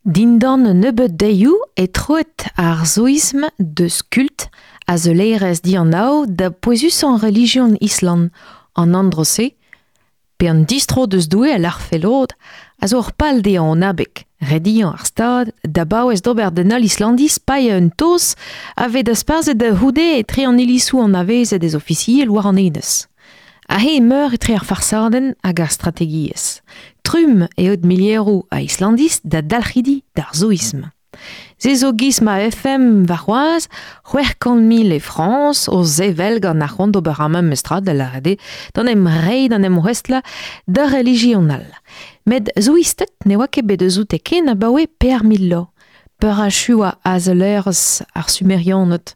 Dindan un nebeud deioù e troet ar zoism deus kult azeulerezh dianav da pouezusañ relijion Island, an andro-se, pe an distro deus Doue a lârfe lod, a zo ur pal dezhañ an abeg, rediañ ar Stad da baouez d'ober d'un holl Islandiz paeañ un taos a vez dasparzhet da c'houde etre an ilizoù anavezet ez ofisiel war an enez. Aze emeur etre ar farsadenn hag ar strategiezh. Trumm eo milieroù a Islandiz da dalc'hidi d'ar zoism. Se zo giz ma FM warc'hoazh 600 000 e Frañs o sevel gant ar c'hoant d'ober ar memes tra da lâret eo d'an em reiñ d'an em ouestlañ d'ur relijion all. Met zoisted ne oa ket bet eus oute ken abaoe 4000 vloaz. Peurachuañ azeulerezh ar Sumerianed.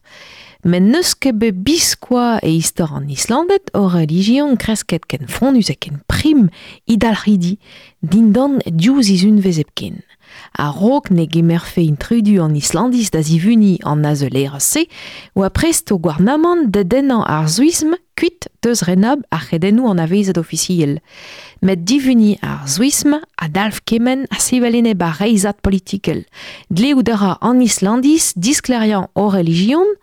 Met n'eus ket bet biskoazh e istor an Islanded ur relijion kresket ken fonnus ha ken prim he dalc'hidi dindan div sizhunvezh hepken. A-raok ne gemerfe intrudu an Islandiz da zivuniñ an azeulerezh-se oa prest o gouarnamant da dennañ ar Suism kuit deus renabl ar c'hredennoù anavezet ofisiel. Met divuniñ ar Suism a dalv kement ha sevel enep ar reizhad politikel. Dleout a ra an Islandiz disklêriañ o relijion,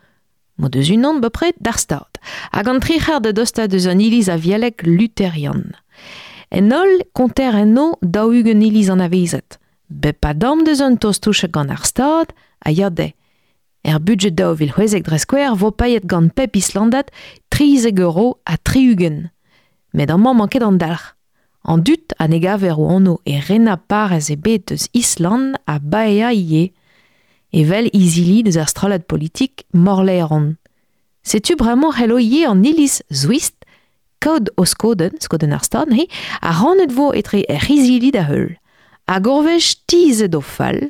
m'o deus unan bepred d'ar Stad, hag an tri c'hard da dostaat eus an iliz avielek luterian. En holl konter enno 40 iliz anavezet. Bep a damm deus un taos touchet gant ar Stad a ya dezhe. Er budjed 2016 dre skouer vo paeet gant pep Islandad 13 euro ha 60. Met amañ 'mañ ket an dalc'h. An dud a ne gaver o anv e renañ parrez ebet eus Island a baeañ ivez, evel izili deus ar strollad politik Morlaeron. Setu bremañ c'hello ivez an iliz Zwist kaout o skodenn, skodenn ar stad neuze, ha rannet vo etre hec'h izili da heul. Hag ur wech tizhet o fal,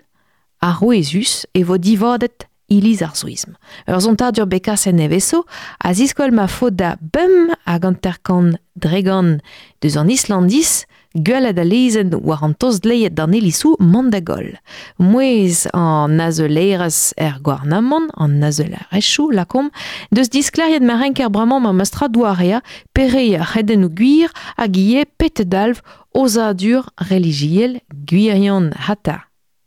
arouezus e vo divadet iliz ar Suism. Ur sontadur bet kaset nevezo a ziskouel ma faot da 55% deus an Islandiz gwelet al lezenn war an tost-dleet d'an ilizoù mont da goll. Mouezh an azeulerezh er gouarnamant, an azeulerezhioù lakaomp, deus disklêriet ma renker bremañ ma mestra doareañ pere ar c'hredennoù gwir hag ivez pet dalv ozadur relijiel gwirion hata.